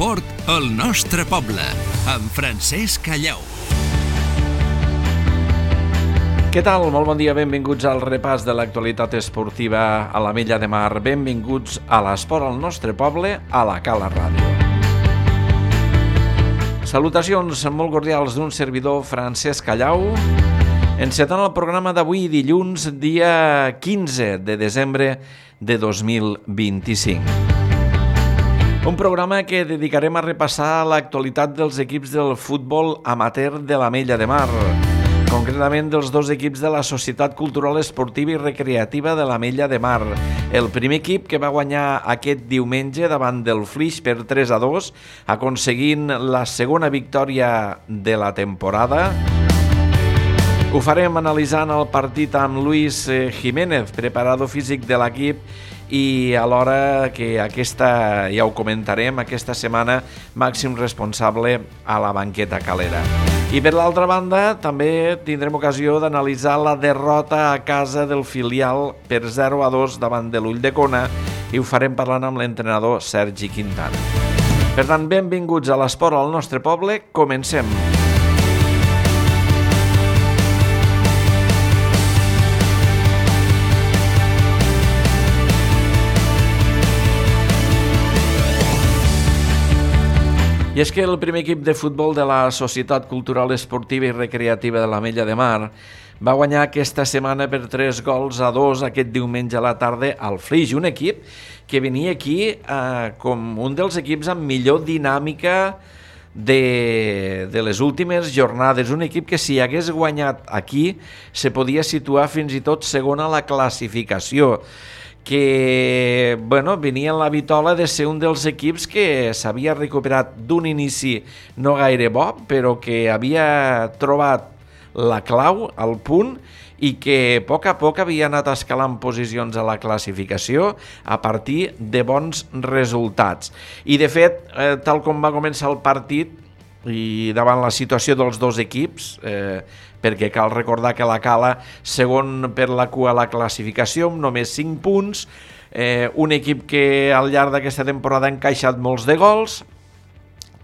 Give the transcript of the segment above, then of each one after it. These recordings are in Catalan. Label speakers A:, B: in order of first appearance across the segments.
A: L'esport al nostre poble, amb Francesc Callau.
B: Què tal? Molt bon dia, benvinguts al repàs de l'actualitat esportiva a l'Ametlla de Mar. Benvinguts a l'esport al nostre poble, a la Cala Ràdio. Salutacions molt cordials d'un servidor, Francesc Callau, encetant el programa d'avui, dilluns, dia 15 de desembre de 2025. Un programa que dedicarem a repassar l'actualitat dels equips del futbol amateur de l'Ametlla de Mar, concretament dels dos equips de la Societat Cultural Esportiva i Recreativa de l'Ametlla de Mar. El primer equip, que va guanyar aquest diumenge davant del Flix per 3-2, aconseguint la segona victòria de la temporada. Ho farem analitzant el partit amb Luis Jiménez, preparador físic de l'equip, i alhora que aquesta, ja ho comentarem, aquesta setmana màxim responsable a la banqueta calera. I per l'altra banda també tindrem ocasió d'analitzar la derrota a casa del filial per 0-2 davant de l'Ulldecona, i ho farem parlant amb l'entrenador Sergi Quintana. Per tant, benvinguts a l'esport al nostre poble, comencem. I és que el primer equip de futbol de la Societat Cultural Esportiva i Recreativa de l'Ametlla de Mar va guanyar aquesta setmana per 3-2 aquest diumenge a la tarda al Flix, un equip que venia aquí com un dels equips amb millor dinàmica de les últimes jornades, un equip que si hagués guanyat aquí se podia situar fins i tot segon a la classificació, que venia en la vitola de ser un dels equips que s'havia recuperat d'un inici no gaire bo, però que havia trobat la clau, el punt, i que a poc havia anat escalant posicions a la classificació a partir de bons resultats. I de fet, tal com va començar el partit, i davant la situació dels dos equips, perquè cal recordar que la Cala, segon per la cua a la classificació, amb només 5 punts, un equip que al llarg d'aquesta temporada ha encaixat molts de gols,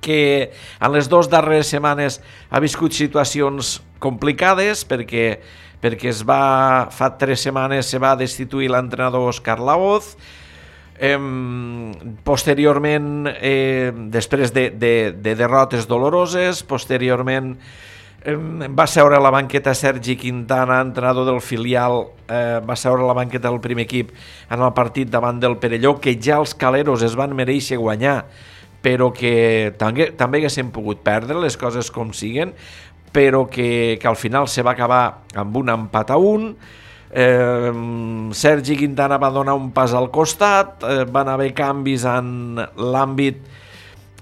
B: que en les 2 darreres setmanes ha viscut situacions complicades, perquè fa 3 setmanes se va destituir l'entrenador Òscar Laoz. Posteriorment, després de derrotes doloroses, posteriorment va seure a la banqueta Sergi Quintana, entrenador del filial, va seure a la banqueta del primer equip en el partit davant del Perelló, que ja els caleros es van mereixer guanyar, però que també haguessin pogut perdre, les coses com siguen, però que al final se va acabar amb un empat a 1. Sergi Quintana va donar un pas al costat, van haver canvis en l'àmbit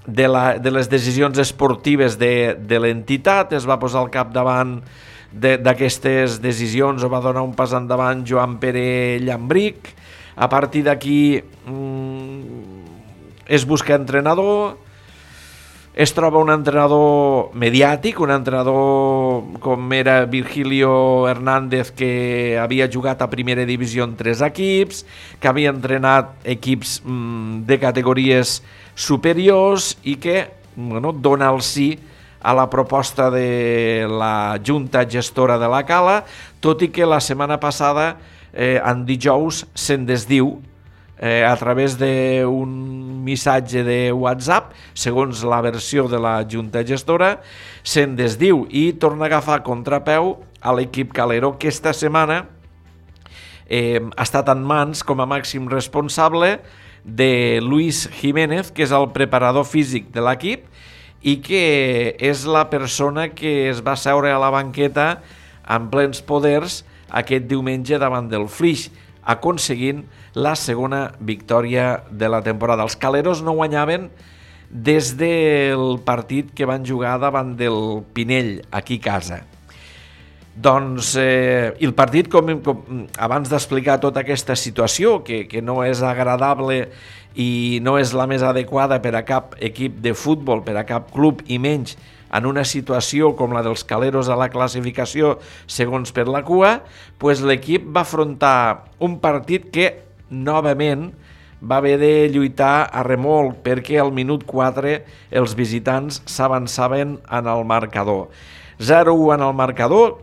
B: de les decisions esportives de l'entitat, es va posar al capdavant d'aquestes decisions, o va donar un pas endavant Joan Pere Llambric. A partir d'aquí es busca entrenador, es troba un entrenador mediàtic, un entrenador com era Virgilio Hernández, que havia jugat a primera divisió en 3 equips, que havia entrenat equips de categories superiors i que dona el sí a la proposta de la Junta Gestora de la Cala, tot i que la setmana passada, en dijous, se'n desdiu a través d'un missatge de WhatsApp, segons la versió de la Junta Gestora, se'n desdiu i torna a agafar contrapeu a l'equip calero, que esta setmana ha estat en mans com a màxim responsable de Luis Jiménez, que és el preparador físic de l'equip i que és la persona que es va seure a la banqueta en plens poders aquest diumenge davant del Flix, aconseguint la segona victòria de la temporada. Els caleros no guanyaven des del partit que van jugar davant del Pinell, aquí a casa. Doncs el partit, abans d'explicar tota aquesta situació, que no és agradable i no és la més adequada per a cap equip de futbol, per a cap club, i menys en una situació com la dels caleros a la classificació segons per la cua, pues l'equip va afrontar un partit que novament va haver de lluitar a remolc perquè al minut 4 els visitants s'avançaven en el marcador. 0-1 en el marcador,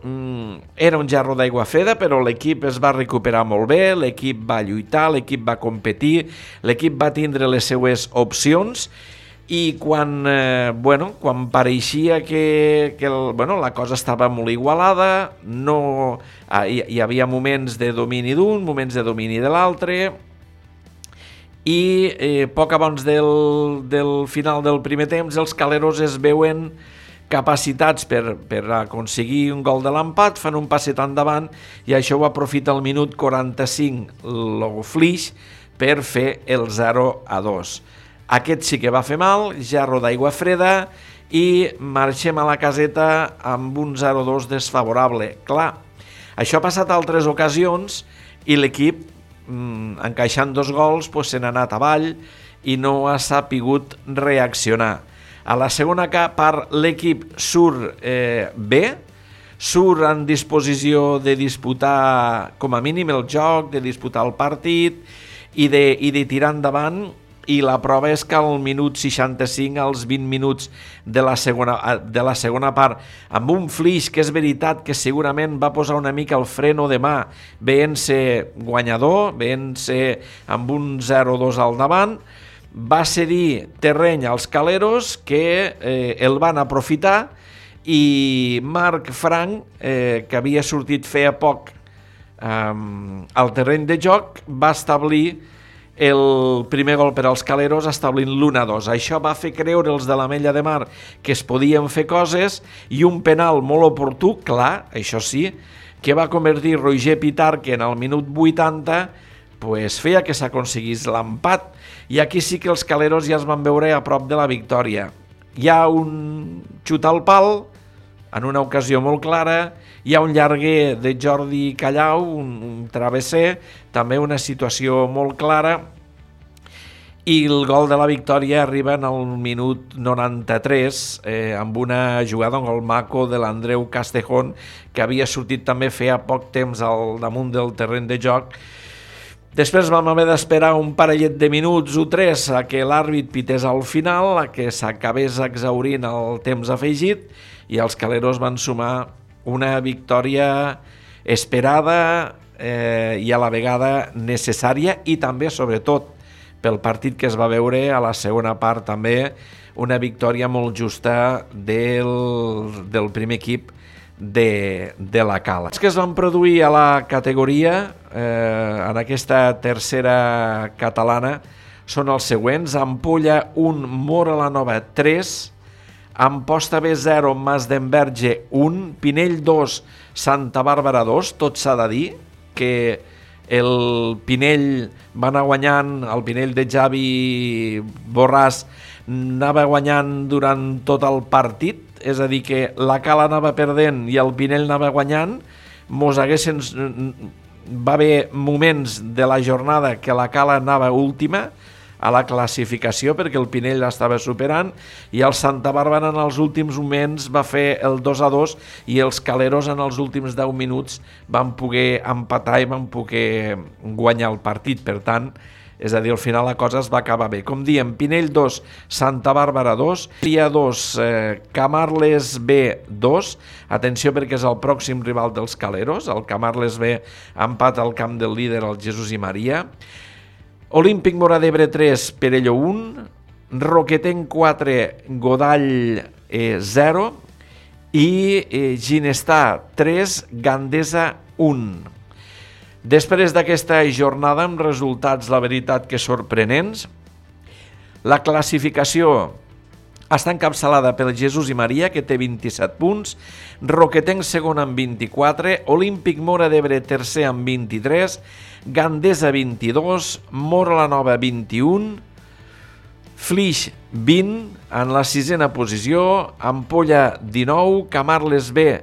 B: era un gerro d'aigua freda, però l'equip es va recuperar molt bé, l'equip va lluitar, l'equip va competir, l'equip va tindre les seues opcions i quan pareixia que la cosa estava molt igualada, hi havia moments de domini d'un, moments de domini de l'altre, i poc abans del final del primer temps els caleros es veuen capacitats per aconseguir un gol de l'empat, fan un passet endavant i això ho aprofita al minut 45 el Flix per fer el 0-2. Aquest sí que va fer mal, gerro d'aigua freda i marxem a la caseta amb un 0-2 desfavorable. Clar, això ha passat altres ocasions i l'equip, encaixant 2 gols, se n'ha anat avall i no ha sapigut reaccionar. A la segona part l'equip surt bé, surt en disposició de disputar com a mínim el joc, de disputar el partit i de tirar endavant, i la prova és que al minut 65, als 20 minuts de la segona part, amb un Flix que és veritat que segurament va posar una mica el freno de mà, veient-se guanyador, veient-se amb un 0-2 al davant, va cedir terreny als caleros que el van aprofitar i Marc Frank, que havia sortit feia poc al terreny de joc, va establir el primer gol per als caleros establint l'1-2. Això va fer creure els de l'Ametlla de Mar que es podien fer coses i un penal molt oportú, clar, això sí, que va convertir Roger Pitar, que en el minut 80 feia que s'aconseguís l'empat, i aquí sí que els caleros ja es van veure a prop de la victòria. Hi ha un xut al pal en una ocasió molt clara, hi ha un llarguer de Jordi Callau, un travesser, també una situació molt clara, i el gol de la victòria arriba en el minut 93 amb una jugada, un gol maco de l'Andreu Castejón, que havia sortit també feia poc temps al damunt del terreny de joc. Després vam haver d'esperar un parellet de minuts o 3 a que l'àrbit pités al final, a que s'acabés exhaurint el temps afegit, i els caleros van sumar una victòria esperada i a la vegada necessària, i també, sobretot, pel partit que es va veure a la segona part, també una victòria molt justa del primer equip de la Cala. Els que es van produir a la categoria en aquesta tercera catalana són els següents: Ampolla 1, Móra la Nova 3, Amposta B 0, Masdenverge 1, Pinell 2, Santa Bàrbara 2. Tot s'ha de dir que el Pinell va anar guanyant, el Pinell de Javi Borràs anava guanyant durant tot el partit, és a dir, que la Cala anava perdent i el Pinell anava guanyant. Va haver moments de la jornada que la Cala anava última a la classificació perquè el Pinell l'estava superant, i el Santa Bàrbara en els últims moments va fer el 2-2 i els caleros en els últims 10 minuts van poder empatar i van poder guanyar el partit. Per tant, és a dir, al final la cosa es va acabar bé. Com diem, Pinell 2, Santa Bàrbara 2, Ria 2, Camarles B 2. Atenció perquè és el pròxim rival dels caleros. El Camarles B empat al camp del líder, el Jesús i Maria. Olímpic Móra d'Ebre 3, Perelló 1, Roquetenc 4, Godall 0 i Ginestar 3, Gandesa 1. Després d'aquesta jornada amb resultats, la veritat, que sorprenents, la classificació està encapçalada pel Jesús i Maria, que té 27 punts, Roquetenc segon amb 24, Olímpic Móra d'Ebre tercer amb 23, Gandesa 22, Móra la Nova 21, Flix 20 en la sisena posició, Ampolla 19, Camarles B,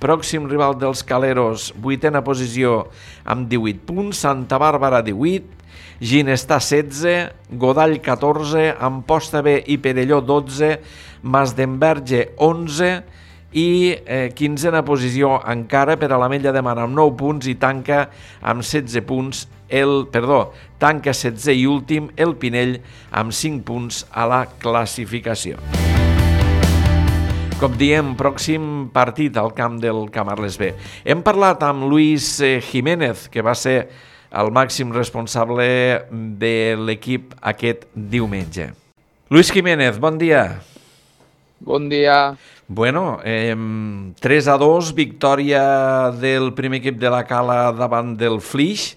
B: pròxim rival dels caleros, vuitena posició amb 18 punts, Santa Bàrbara 18, Ginestar 16, Godall 14, Amposta B i Perelló 12, Masdenverge 11 i 15a posició encara per a l'Ametlla de Mar amb 9 punts i tanca amb 16 punts tanca 16è i últim el Pinell amb 5 punts a la classificació. Com diem, pròxim partit al camp del Camarles B. Hem parlat amb Luis Jiménez, que va ser el màxim responsable de l'equip aquest diumenge. Luis Jiménez, bon dia.
C: Bon dia.
B: Bueno, 3-2, victòria del primer equip de la Cala davant del Flix,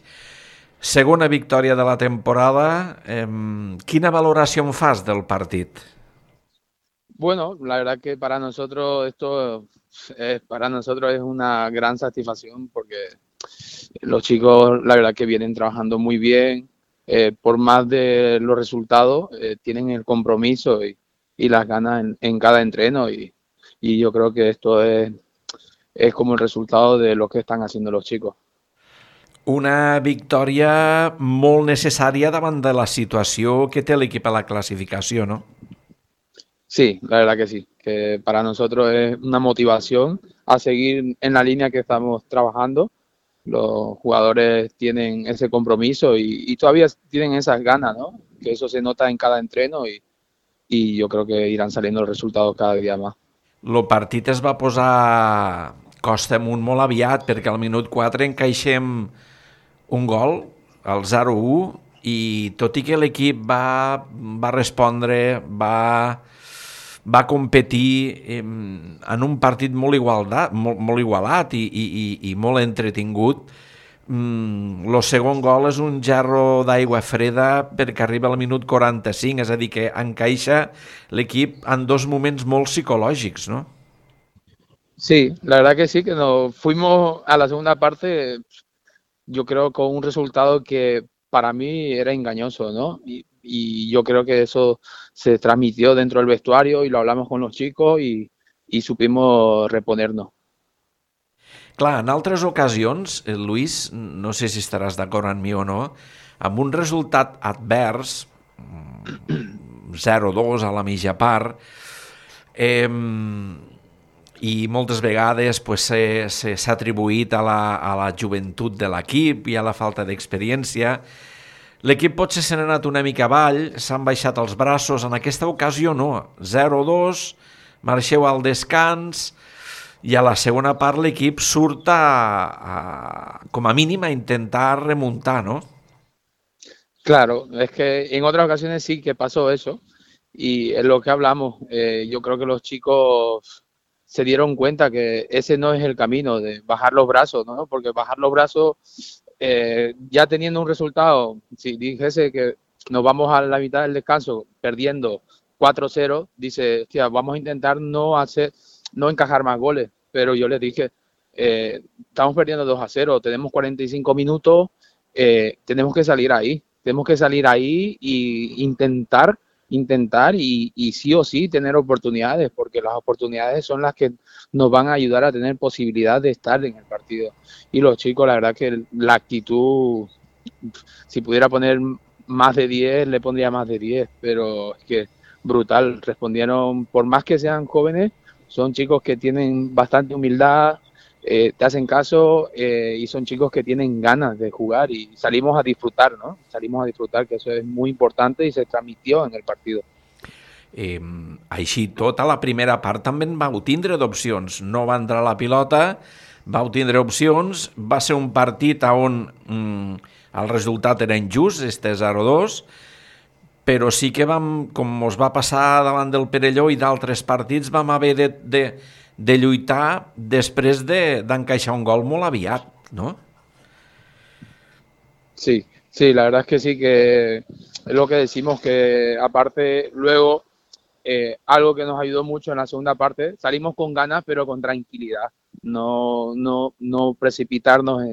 B: segona victòria de la temporada. Quina valoració en fas del partit?
C: Bueno, la verdad que para nosotros es una gran satisfacción porque los chicos la verdad que vienen trabajando muy bien, por más de los resultados, tienen el compromiso y las ganas en cada entreno y yo creo que esto es como el resultado de lo que están haciendo los chicos.
B: Una victòria molt necessària davant de la situació que té l'equip a la classificació, no?
C: Sí, la verdad que sí, que para nosotros es una motivación a seguir en la línea que estamos trabajando. Los jugadores tienen ese compromiso y todavía tienen esas ganas, ¿no? Que eso se nota en cada entreno y yo creo que irán saliendo los resultados cada día más.
B: El partit es va posar costa amunt molt aviat perquè al minut 4 encaixem un gol, el 0-1, i tot i que l'equip va respondre, va competir en un partit molt igualat i molt entretingut. El segon gol és un gerro d'aigua freda perquè arriba al minut 45, és a dir, que encaixa l'equip en dos moments molt psicològics, no?
C: Sí, la verdad que sí, que nos fuimos a la segunda parte, yo creo con un resultado que para mí era engañoso, ¿no? Y yo creo que eso se transmitió dentro del vestuario y lo hablamos con los chicos y supimos reponernos.
B: Clar, en altres ocasions, Luis, no sé si estaràs d'acord amb mi o no, amb un resultat advers, 0-2 a la mitja part, i moltes vegades s'ha atribuït a la joventut de l'equip i a la falta d'experiència. L'equip potser se n'ha anat una mica avall, s'han baixat els braços. En aquesta ocasió no, 0-2, marxeu al descans i a la segona part l'equip surt com a mínim a intentar remuntar, ¿no?
C: Claro, es que en otras ocasiones sí que pasó eso y es lo que hablamos. Yo creo que los chicos se dieron cuenta que ese no es el camino de bajar los brazos, ¿no? Porque bajar los brazos, ya teniendo un resultado, si dijese que nos vamos a la mitad del descanso perdiendo 4-0, dice, hostia, vamos a intentar no encajar más goles, pero yo les dije, estamos perdiendo 2-0, tenemos 45 minutos, tenemos que salir ahí y intentar y sí o sí tener oportunidades, porque las oportunidades son las que nos van a ayudar a tener posibilidad de estar en el partido. Y los chicos, la verdad que la actitud, si pudiera poner más de 10, le pondría más de 10, pero es que brutal, respondieron, por más que sean jóvenes, son chicos que tienen bastante humildad, te hacen caso y son chicos que tienen ganas de jugar y salimos a disfrutar, ¿no? Salimos a disfrutar, que eso es muy importante y se transmitió en el partido.
B: Així tot, a la primera part també en vau tindre d'opcions. No va entrar la pilota, vau tindre opcions, va ser un partit on el resultat era injust, este 0-2, però sí que vam, com us va passar davant del Perelló i d'altres partits, vam haver de lluitar després d'encaixar un gol molt aviat, ¿no?
C: Sí, la verdad es que sí, que es lo que decimos, que aparte luego algo que nos ayudó mucho en la segunda parte, salimos con ganas pero con tranquilidad, no precipitarnos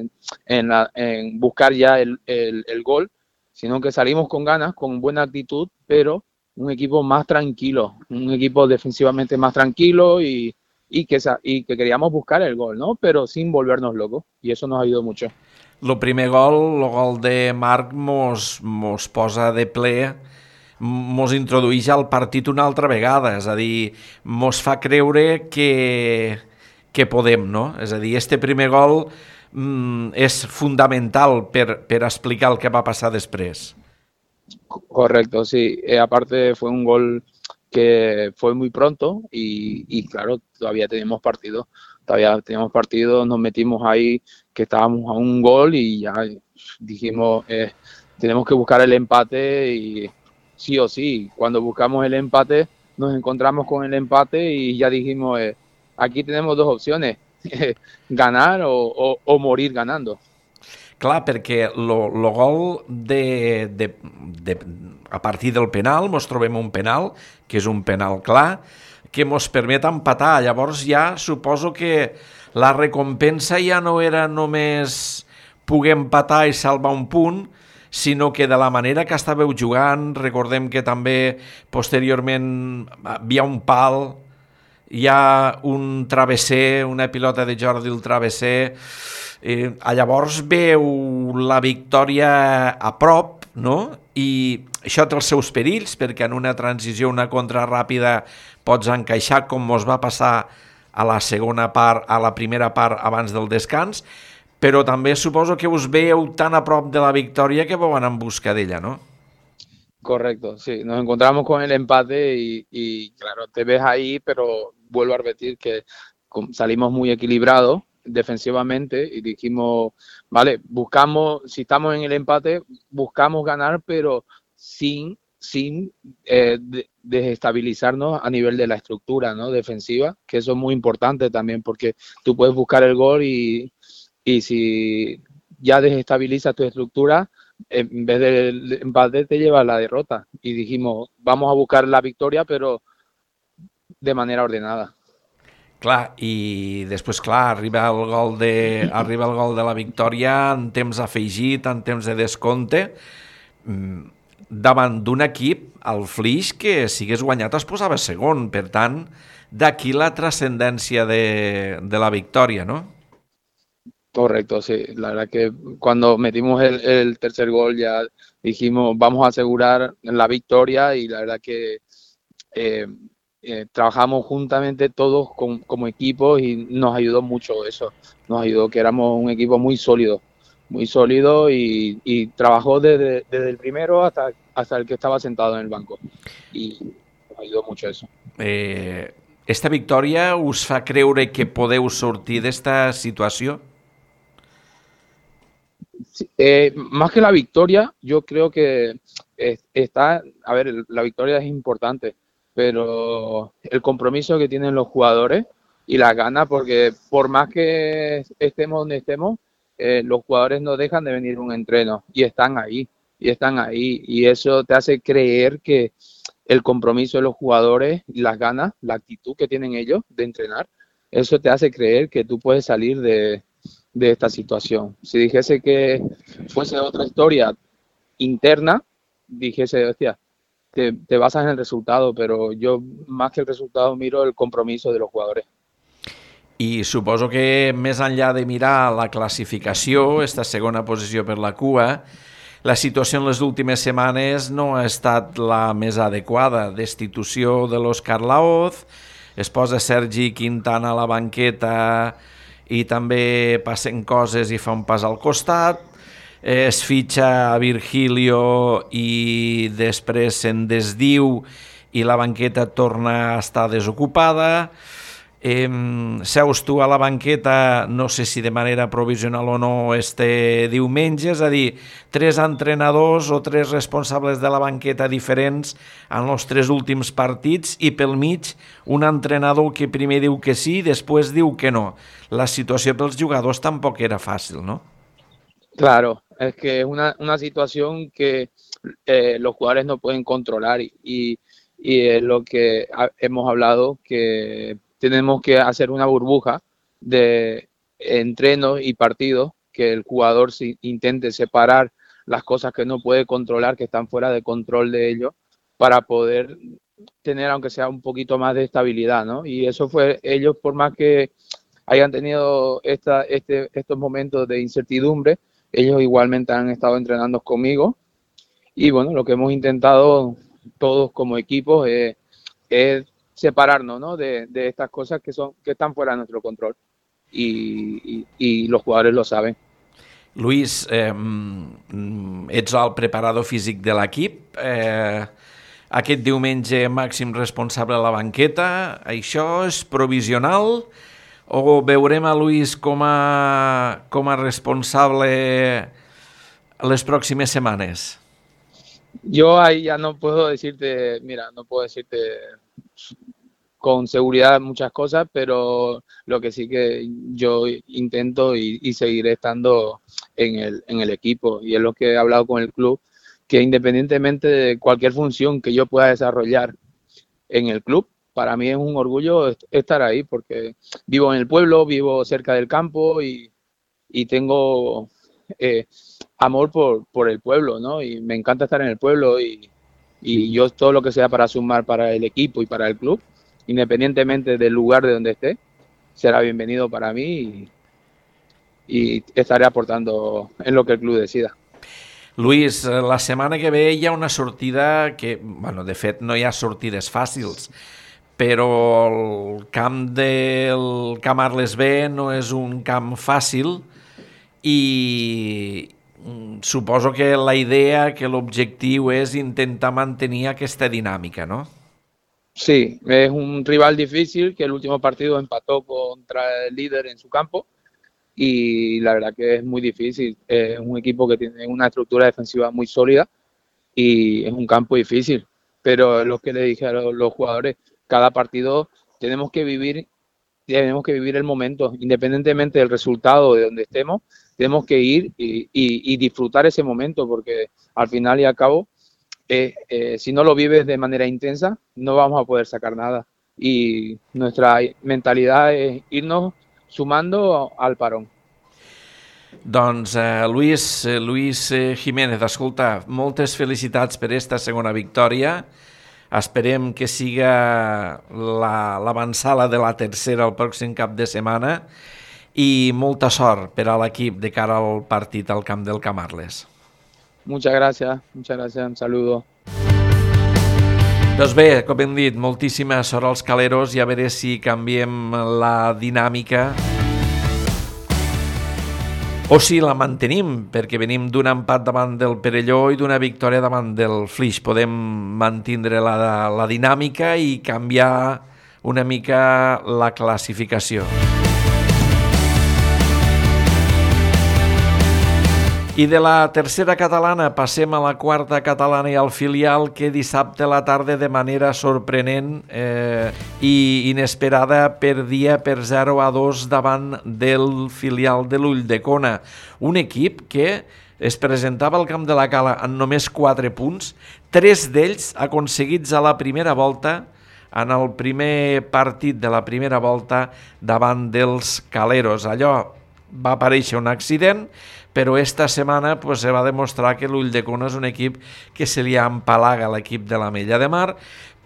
C: en buscar ya el gol, sino que salimos con ganas, con buena actitud, pero un equipo más tranquilo, un equipo defensivamente más tranquilo y que queríamos buscar el gol, ¿no? Pero sin volvernos locos, y eso nos ayudó mucho.
B: El primer gol, el gol de Marc, mos posa de ple mos introdueix al partit una altra vegada, és a dir, mos fa creure que podem, no? És a dir, este primer gol és fundamental per explicar el que va passar després.
C: Correcto, sí. Aparte fue un gol que fue muy pronto y claro, todavía teníamos partido, nos metimos ahí que estábamos a un gol y ya dijimos, tenemos que buscar el empate y sí o sí, cuando buscamos el empate nos encontramos con el empate y ya dijimos, aquí tenemos dos opciones, ganar o morir ganando.
B: Clar, perquè lo gol a partir del penal, mos trobem un penal, que és un penal clar, que mos permet empatar. Llavors ja suposo que la recompensa ja no era només poder empatar i salvar un punt, sinó que de la manera que estàveu jugant, recordem que també posteriorment hi havia un pal, hi ha un travesser, una pilota de Jordi el travesser, llavors veu la victòria a prop, no? I això té els seus perills, perquè en una transició, una contra ràpida, pots encaixar com mos va passar a la segona part, a la primera part abans del descans, però també suposo que us veieu tan a prop de la victòria que vau anar en busca d'ella, no?
C: Correcto, sí, nos encontramos con el empate y claro, te ves ahí, pero vuelvo a repetir que salimos muy equilibrados defensivamente y dijimos, vale, buscamos, si estamos en el empate, buscamos ganar, pero sin desestabilizarnos a nivel de la estructura, ¿no? Defensiva, que eso es muy importante también porque tú puedes buscar el gol y si ya desestabilizas tu estructura, en vez del empate te lleva a la derrota. Y dijimos, vamos a buscar la victoria, pero de manera ordenada.
B: Clar, i després, clar, arriba el gol de la victòria en temps afegit, en temps de descompte, davant d'un equip, el Flix, que si hagués guanyat es posava segon. Per tant, d'aquí la trascendència de la victòria, ¿no?
C: Correcto, sí. La verdad que cuando metimos el tercer gol ya dijimos, vamos a asegurar la victoria y la verdad que trabajamos juntamente todos como equipo y nos ayudó mucho eso. Nos ayudó que éramos un equipo muy sólido y trabajó desde el primero hasta el que estaba sentado en el banco. Y nos ayudó mucho eso.
B: Esta victòria us fa creure que podeu sortir d'esta situació?
C: Sí, más que la victoria, yo creo que la victoria es importante, pero el compromiso que tienen los jugadores y las ganas, porque por más que estemos donde estemos, los jugadores no dejan de venir a un entreno y están ahí, y eso te hace creer que el compromiso de los jugadores y las ganas, la actitud que tienen ellos de entrenar, eso te hace creer que tú puedes salir de esta situación. Si dijese que fuese otra historia interna, dijese, hostia, te basas en el resultado, pero yo más que el resultado miro el compromiso de los jugadores.
B: I suposo que més enllà de mirar la classificació, esta segona posició per la cua, la situació en les últimes setmanes no ha estat la més adequada. Destitució de l'Òscar Laoz, es posa Sergi Quintana a la banqueta i també passen coses i fa un pas al costat, es fitxa a Virgilio i després se'n desdiu i la banqueta torna a estar desocupada. Seus tu a la banqueta, no sé si de manera provisional o no, este diumenge, és a dir, 3 entrenadors o 3 responsables de la banqueta diferents en els 3 últims partits i pel mig un entrenador que primer diu que sí i després diu que no. La situació pels jugadors tampoc era fàcil, ¿no?
C: Claro, es que es una situación que los jugadores no pueden controlar y es lo que hemos hablado, que tenemos que hacer una burbuja de entrenos y partidos, que el jugador intente separar las cosas que no puede controlar, que están fuera de control de ellos, para poder tener, aunque sea un poquito más de estabilidad, ¿no? Y eso fue, ellos por más que hayan tenido estos momentos de incertidumbre, ellos igualmente han estado entrenando conmigo y bueno, lo que hemos intentado todos como equipos es separarnos, ¿no? de estas cosas que están fuera de nuestro control y los jugadores lo saben.
B: Luis, ets el preparador físic de l'equip. Aquest diumenge màxim responsable a la banqueta. Això és provisional o veurem a Luis com a responsable les pròximes setmanes?
C: Yo ahí ya no puedo decirte con seguridad muchas cosas, pero lo que sí que yo intento y seguiré estando en el equipo, y es lo que he hablado con el club, que independientemente de cualquier función que yo pueda desarrollar en el club, para mí es un orgullo estar ahí, porque vivo en el pueblo, vivo cerca del campo y tengo amor por el pueblo, ¿no? Y me encanta estar en el pueblo y yo todo lo que sea para sumar para el equipo y para el club, independientemente del lugar de donde esté, será bienvenido para mí y estaré aportando en lo que el club decida.
B: Luis, la setmana que ve hi ha una sortida que, bueno, de fet no hi ha sortides fàcils, però el camp del Camp Arles B no és un camp fàcil i suposo que la idea, que l'objectiu és intentar mantenir aquesta dinàmica, ¿no?
C: Sí, es un rival difícil que el último partido empató contra el líder en su campo y la verdad que es muy difícil. Es un equipo que tiene una estructura defensiva muy sólida y es un campo difícil. Pero es lo que le dije a los jugadores, cada partido tenemos que vivir el momento, independientemente del resultado de donde estemos, tenemos que ir y disfrutar ese momento, porque al final y al cabo, si no lo vives de manera intensa, no vamos a poder sacar nada. Y nuestra mentalidad es irnos sumando al parón.
B: Doncs Luis Jiménez, escolta, moltes felicitats per esta segona victòria. Esperem que siga l'avançada de la tercera el pròxim cap de setmana i molta sort per a l'equip de cara al partit al camp del Camp Arles.
C: Muchas gracias, un saludo.
B: Doncs bé, com hem dit, moltíssima sort als caleros i a veure si canviem la dinàmica o si la mantenim, perquè venim d'un empat davant del Perelló i d'una victòria davant del Flix. Podem mantindre la dinàmica i canviar una mica la classificació. I de la tercera catalana passem a la quarta catalana i al filial, que dissabte a la tarda de manera sorprenent i inesperada perdia per 0-2 davant del filial de l'Ulldecona. Un equip que es presentava al camp de la Cala en només 4 punts, 3 d'ells aconseguits a la primera volta, en el primer partit de la primera volta davant dels caleros. Allò va aparèixer un accident, però esta setmana se va demostrar que l'Ulldecona és un equip que se li empalaga a l'equip de l'Ametlla de Mar,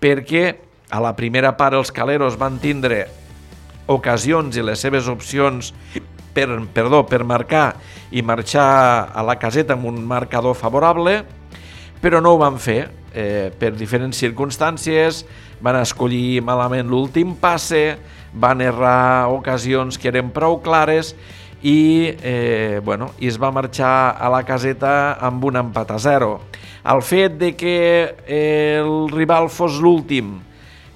B: perquè a la primera part els caleros van tindre ocasions i les seves opcions per marcar i marxar a la caseta amb un marcador favorable, però no ho van fer per diferents circumstàncies. Van escollir malament l'últim passe, van errar ocasions que eren prou clares i es va marxar a la caseta amb un empat a 0. El fet de que el rival fos l'últim,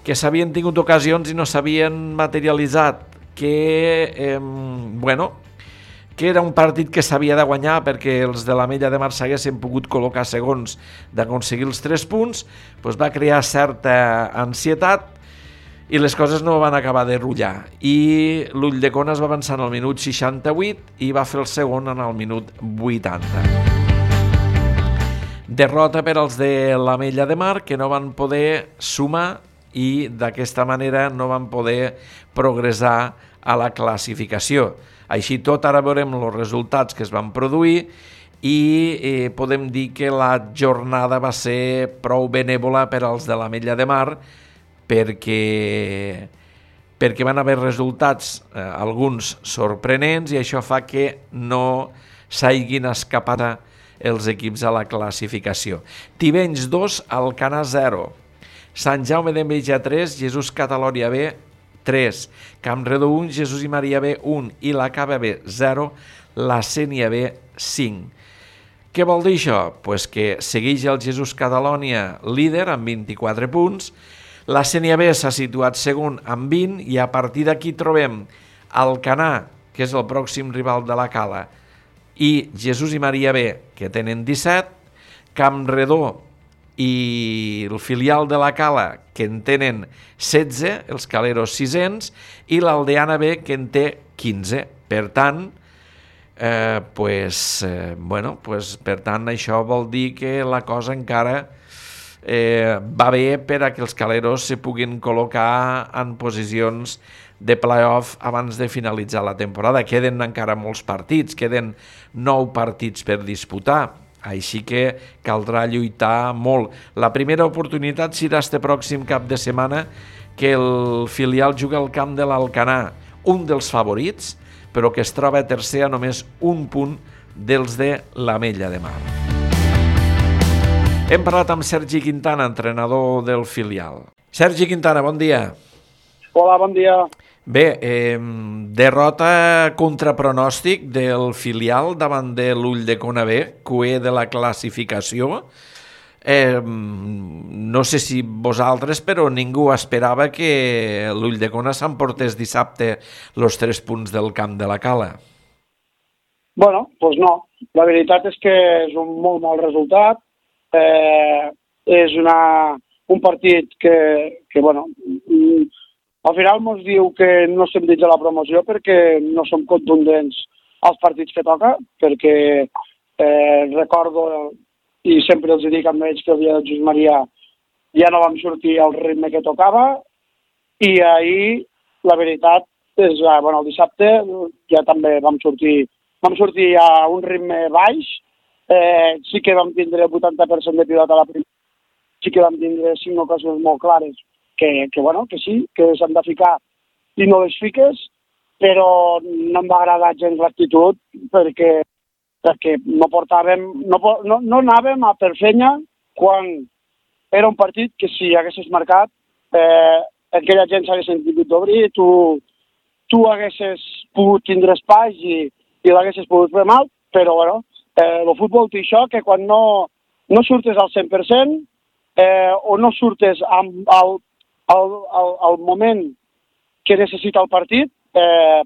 B: que s'havien tingut ocasions i no s'havien materialitzat, que era un partit que s'havia de guanyar perquè els de l'Ametlla de Mar s'haguessin pogut col·locar segons d'aconseguir els 3 punts, va crear certa ansietat i les coses no van acabar de rullar. I l'Ulldecona es va avançar en el minut 68 i va fer el segon en el minut 80. Derrota per als de l'Ametlla de Mar, que no van poder sumar i d'aquesta manera no van poder progressar a la classificació. Així tot, ara veurem els resultats que es van produir i podem dir que la jornada va ser prou benèvola per als de l'Ametlla de Mar, perquè van haver resultats alguns sorprenents i això fa que no s'hagin escapat els equips a la classificació. Tivenys 2, Alcanar 0. Sant Jaume d'Enveja 3, Jesús Catalònia B 3, Campredó 1, Jesús i Maria B 1 i la Cava B 0, la Sénia B 5. Què vol dir això? Pues que segueix el Jesús Catalònia líder amb 24 punts, la Sénia B s'ha situat segon amb 20 i a partir d'aquí trobem Alcanar, que és el pròxim rival de la Cala, i Jesús i Maria B, que tenen 17, Campredó i el filial de la Cala, que en tenen 16, els caleros 600, i l'Aldeana B, que en té 15. Per tant, per tant, això vol dir que la cosa encara va bé per a que els caleros se puguin col·locar en posicions de play-off abans de finalitzar la temporada. Queden encara molts partits, queden 9 partits per disputar, així que caldrà lluitar molt. La primera oportunitat serà este pròxim cap de setmana, que el filial juga al camp de l'Alcanar, un dels favorits, però que es troba tercer a només un punt dels de l'Ametlla de Mar. Hem parlat amb Sergi Quintana, entrenador del filial. Sergi Quintana, bon dia.
D: Hola, bon dia.
B: Bé, derrota contra pronòstic del filial davant de l'Ulldecona B, QE de la classificació. No sé si vosaltres, però ningú esperava que l'Ulldecona s'emportés dissabte els 3 punts del camp de la Cala.
D: Bueno, doncs no. La veritat és que és un molt mal resultat. És un partit que bueno, al final ens diu que no estem dins de la promoció perquè no som contundents als partits que toca, perquè recordo, i sempre els dic amb ells, que el dia de Jesús Maria ja no vam sortir al ritme que tocava, i ahir, la veritat, és, bueno, el dissabte ja també vam sortir a un ritme baix. Sí que vam tindre el 80% de pilota a la primera, sí que vam tindre 5 ocasions molt clares, que sí, que s'han de ficar i no les fiques, però no em va agradar gens l'actitud perquè no anàvem a per fenya quan era un partit que si haguessis marcat aquella gent s'hagués sentit d'obrir, tu haguessis pogut tindre espai i l'haguessis pogut fer mal, però bueno, el futbol té això, que quan no surtes al 100% o no surtes al moment que necessita el partit,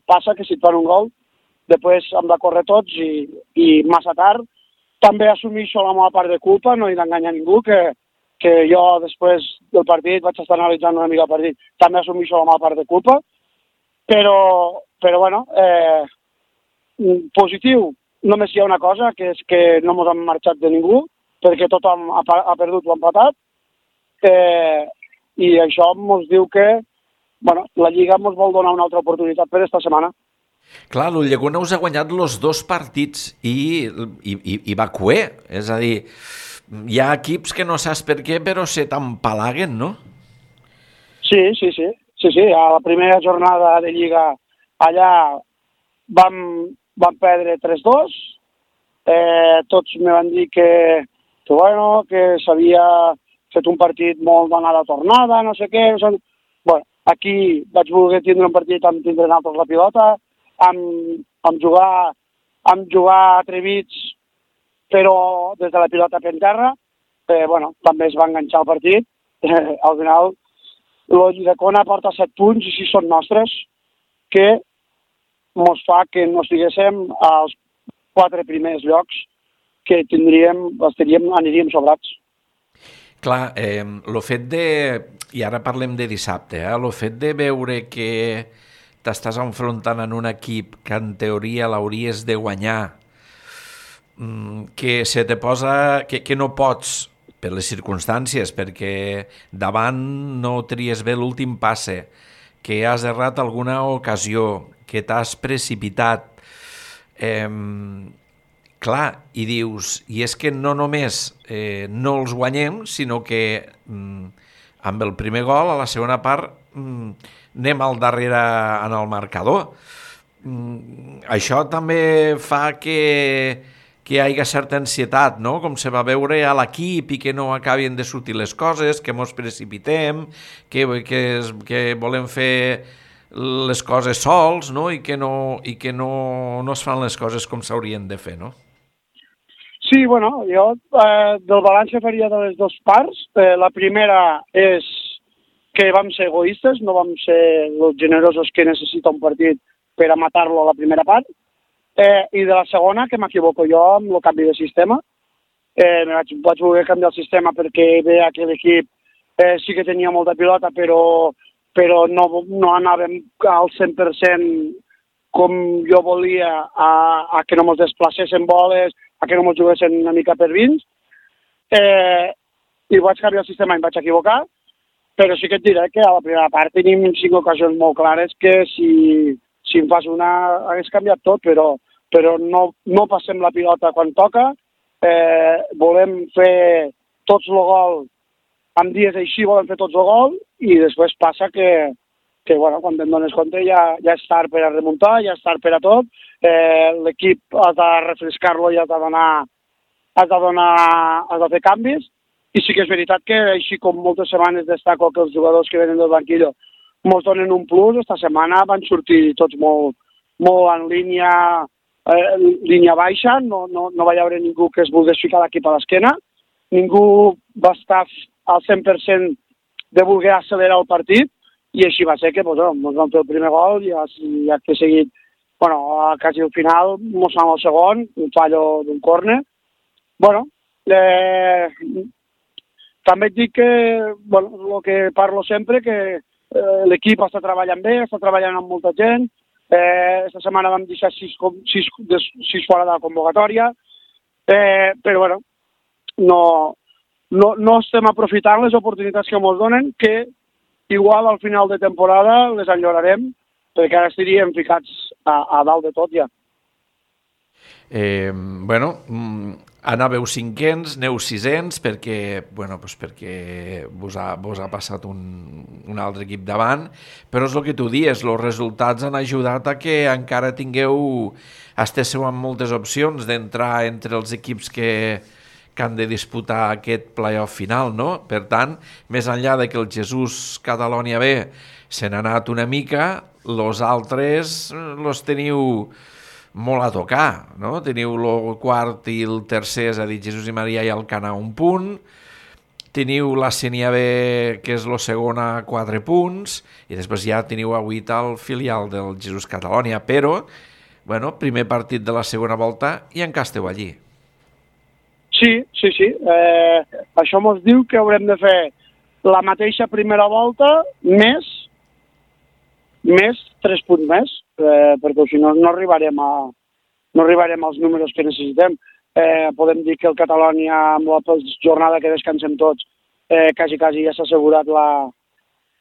D: passa que si et fan un gol, després hem de córrer tots i massa tard. També assumeixo la meva part de culpa, no he d'enganyar ningú, que jo després del partit vaig estar analitzant una mica el partit, també assumeixo la meva part de culpa, però bueno, positiu. Només hi ha una cosa, que és que no ens hem marxat de ningú, perquè tothom ha perdut o empatat, i això ens diu que la Lliga ens vol donar una altra oportunitat per esta setmana.
B: Clar, l'Ulldecona us ha guanyat els 2 partits i va cué, és a dir, hi ha equips que no saps per què, però se t'empalaguen, no?
D: Sí, a la primera jornada de Lliga allà vam perdre 3-2, tots me van dir que s'havia fet un partit molt d'anada tornada, no sé què. Bueno, aquí vaig voler tindre un partit amb tindre nosaltres la pilota, amb jugar atrevits, però des de la pilota per terra. També es va enganxar el partit. Al final, l'Ulldecona porta 7 punts i 6 són nostres, que ens fa que no estiguéssim als 4 primers llocs, que aniríem sobrats.
B: Clar, el fet i ara parlem de dissabte, el fet de veure que t'estàs enfrontant en un equip que en teoria l'hauries de guanyar, que se te posa, que no pots per les circumstàncies, perquè davant no tries bé l'últim passe, que has errat alguna ocasió, que t'has precipitat, clar, i dius, i és que no només no els guanyem, sinó que amb el primer gol, a la segona part, anem al darrere en el marcador. Això també fa que hi hagi certa ansietat, no? Com se va veure a l'equip i que no acabin de sortir les coses, que mos precipitem, que volem fer les coses sols, no? I que no es fan les coses com s'haurien de fer, no?
D: Sí, bueno, jo del balanç que faria de les dues parts, la primera és que vam ser egoistes, no vam ser els generosos que necessita un partit per a matar-lo a la primera part, i de la segona, que m'equivoco jo amb el canvi de sistema. Vaig voler canviar el sistema perquè veia que l'equip sí que tenia molta pilota, però no anàvem al 100% com jo volia, a que no ens desplacessin boles, a que no ens juguessin una mica per vins. I vaig canviar el sistema i em vaig equivocar, però sí que et diré que a la primera part tenim 5 ocasions molt clares que si em fas una hagués canviat tot, però no passem la pilota quan toca, volem fer tots el gol, en dies així volem fer tots el gol, i després passa que bueno, quan te'n dones compte ja és tard per a remuntar, ja és tard per a tot, l'equip has de refrescar-lo i has de fer canvis, i sí que és veritat que així com moltes setmanes destaco que els jugadors que venen del banquillo ens donen un plus, esta setmana van sortir tots molt en línia baixa, no va haver ningú que es volgués ficar l'equip a l'esquena, ningú va estar al 100% de voler accelerar el partit, i així va ser que ens vam fer el primer gol i acte seguit, quasi al final, ens fan el segon, un fallo d'un córner. També et dic que, el que parlo sempre, que l'equip està treballant bé, està treballant amb molta gent. Esta setmana vam deixar 6 fora de la convocatòria, però no estem aprofitant les oportunitats que ens donen, que igual al final de temporada les enllorarem, perquè ara estaríem ficats a dalt de tot ja.
B: Anàveu 5ens, aneu 6ens, perquè vos ha passat un altre equip davant, però és el que tu dius, els resultats han ajudat a que encara estigueu amb moltes opcions d'entrar entre els equips que han de disputar aquest playoff final, no? Per tant, més enllà de que el Jesús Catalònia B se n'ha anat una mica, els altres els teniu molt a tocar, no? Teniu el quart i el tercer, és a dir, Jesús i Maria i Alcanar, 1 punt, teniu la Sénia B, que és la segona, 4 punts, i després ja teniu a 8 el filial del Jesús Catalònia, però, primer partit de la segona volta i encara esteu allí.
D: Sí. Això ens diu que haurem de fer la mateixa primera volta més 3 punts més, perquè si no arribarem als números que necessitem. Podem dir que el Catalònia, amb la jornada que descansem tots, quasi ja s'ha assegurat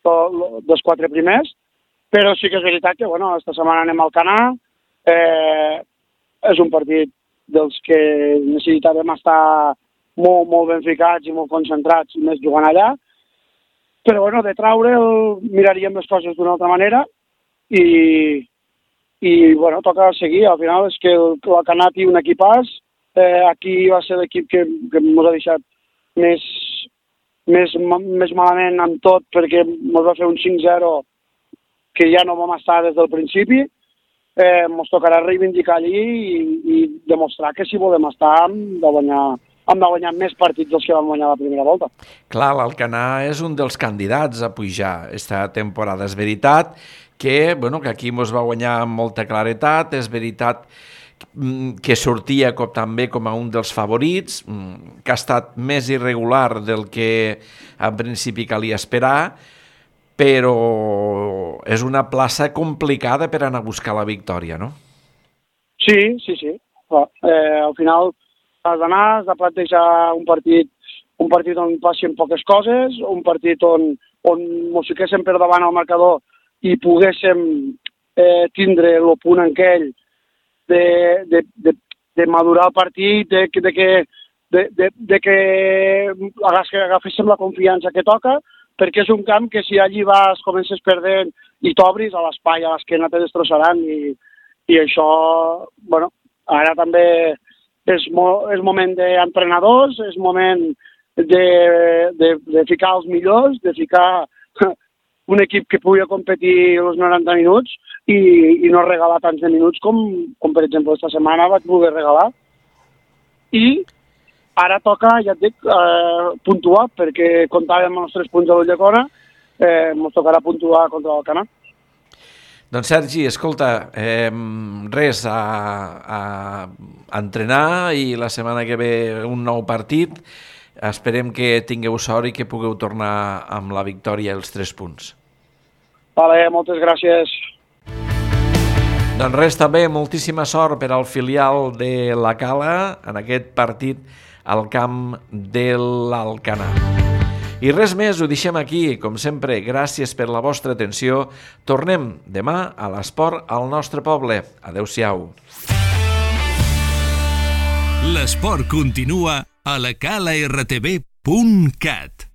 D: dels 4 primers, però sí que és veritat que, esta setmana anem al Alcanar, és un partit dels que necessitàvem estar molt ben ficats i molt concentrats, més jugant allà, però de traure'l miraríem les coses d'una altra manera i toca seguir. Al final és que l'Alcanar té un equipàs, aquí va ser l'equip que ens ha deixat més malament amb tot, perquè ens va fer un 5-0 que ja no vam estar des del principi. Ens tocarà reivindicar allí i demostrar que si volem estar hem de guanyar més partits dels que vam guanyar la primera volta.
B: Clar, l'Alcanar és un dels candidats a pujar esta temporada. És veritat que aquí ens va guanyar amb molta claretat, és veritat que sortia també com a un dels favorits, que ha estat més irregular del que en principi calia esperar, però és una plaça complicada per anar a buscar la victòria, no?
D: Sí. Al final has d'anar, has de plantejar un partit on passin poques coses, un partit on ens fiquéssim per davant al marcador i poguéssim tindre el punt aquell de madurar el partit, de que agaféssim la confiança que toca, perquè és un camp que si allí vas, comences perdent i t'obris a l'espai, a l'esquena te destrossaran i això, ara també és moment d'entrenadors, és moment de ficar els millors, de ficar un equip que pugui competir els 90 minuts i no regalar tants de minuts com per exemple, esta setmana vaig voler regalar. I ara toca, ja et dic, puntuar, perquè comptàvem amb els 3 punts de l'Ulldecona, ens tocarà puntuar contra l'Alcanar.
B: Doncs Sergi, escolta, res, a entrenar i la setmana que ve un nou partit. Esperem que tingueu sort i que pugueu tornar amb la victòria i els 3 punts.
D: Vale, moltes gràcies.
B: Doncs res, també moltíssima sort per al filial de la Cala en aquest partit al camp de l'Alcanar. I res més, ho deixem aquí. Com sempre, gràcies per la vostra atenció. Tornem demà a l'esport al nostre poble. Adéu-siau.
A: L'esport continua a lacalartv.cat.